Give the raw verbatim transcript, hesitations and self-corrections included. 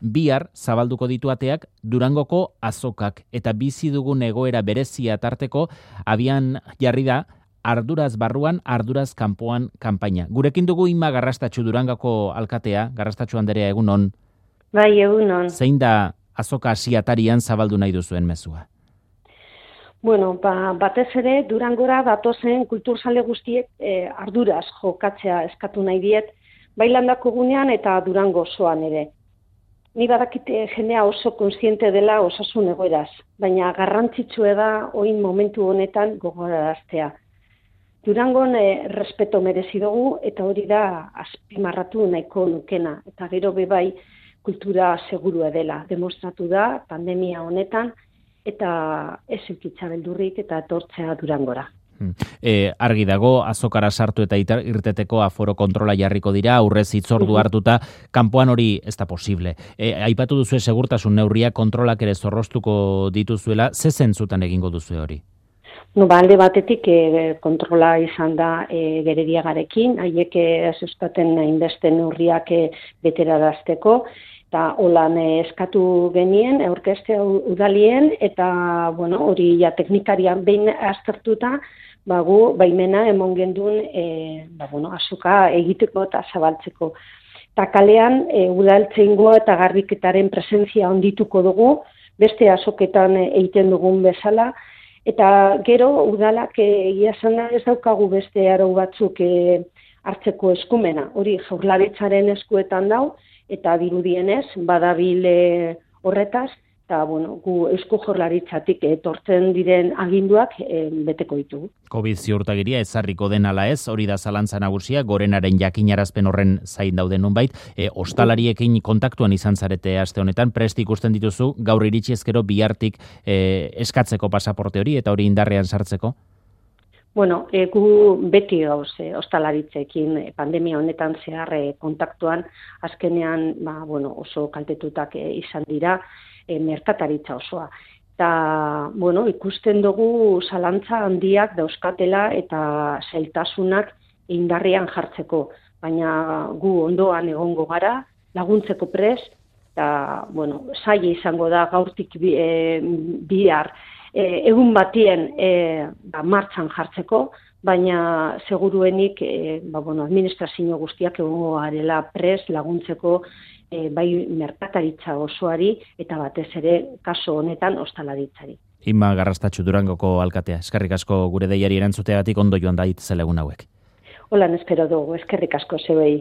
bihar zabalduko ditu ateak Durangoko azokak eta bizi dugun egoera berezia tarteko abian jarri da arduraz barruan, arduraz kanpoan kanpaina. Gurekin dugu Inma Garrastatxu Durangoko alkatea, Garrastatxu anderea egunon. Bai, egunon. Zein da azoka asiatarian zabaldu nahi duzuen mezua? Bueno, ba, batez ere Durangora datozen kulturzale guztiek eh, arduraz jokatzea eskatu nahi diet, bai landako gunean eta Durango osoan ere. Ni badakite jendea oso kontziente dela osasun egoeraz, baina garrantzitsua da orain momentu honetan gogoraraztea. Durangon eh, respeto merezi dugu eta hori da azpimarratu nahiko nukena. Eta gero bebai kultura segurua dela. Demostratu da pandemia honetan eta ez eukitza beldurrik eta etortzea Durangora. E, argi dago, azokara sartu eta irteteko aforo kontrola jarriko dira, aurrez hitzordu hartuta, kanpoan hori ez da posible. E, aipatu duzue segurtasun neurria kontrolak ere zorroztuko dituzuela, ze zentzutan egingo duzue hori? No, ba, alde batetik e, kontrola izan da e, gerediagarekin, haiek ez euskaten hainbeste neurriak e, beterarazteko, eta holan e, eskatu genien, aurkezte udalien, eta bueno, hori ja teknikarian behin aztertuta, ba, gu baimena emon gendun e, ba, bueno, azoka egiteko eta zabaltzeko. Eta kalean e, udaltzeingoa eta garbiketaren presentzia ondituko dugu, beste azoketan egiten dugun bezala, eta gero udalak egia esan da ez daukagu beste arau batzuk e, hartzeko eskumena. Hori Jaurlaritzaren eskuetan dau, eta dirudienez badabil e, horretaz, eta bueno, gu Eusko Jaurlaritzatik etortzen diren aginduak e, beteko ditugu. Covid ziurtagiria ezarriko den ala ez, hori da zalantza nagusia, gorenaren jakinarazpen horren zain dauden nonbait, e, ostalariekin kontaktuan izan zarete aste honetan, prest ikusten dituzu, gaur iritsi ezkero bihartik e, eskatzeko pasaporte hori eta hori indarrean sartzeko? Bueno, e, gu beti gauz e, ostalaritzekin e, pandemia honetan zehar e, kontaktuan, azkenean ba, bueno, oso kaltetutak e, izan dira, e, merkataritza osoa. Eta, bueno, ikusten dugu zalantza handiak dauzkatela eta zailtasunak indarrean jartzeko. Baina gu ondoan egongo gara, laguntzeko prest, eta, bueno, zaila izango da gaurtik bi, e, bihar e, egun batien e, ba, martxan jartzeko, baina seguruenik e, ba, bueno, administrazio guztiak egongo garela prest laguntzeko E, bai merkataritza osoari eta batez ere kaso honetan ostalaritzari. Inma Garrastatxu Durangoko alkatea, eskerrik asko gure deiari erantzuteagatik, ondo joan da itzela egun hauek. Holan espero dugu, eskerrik asko zeuei.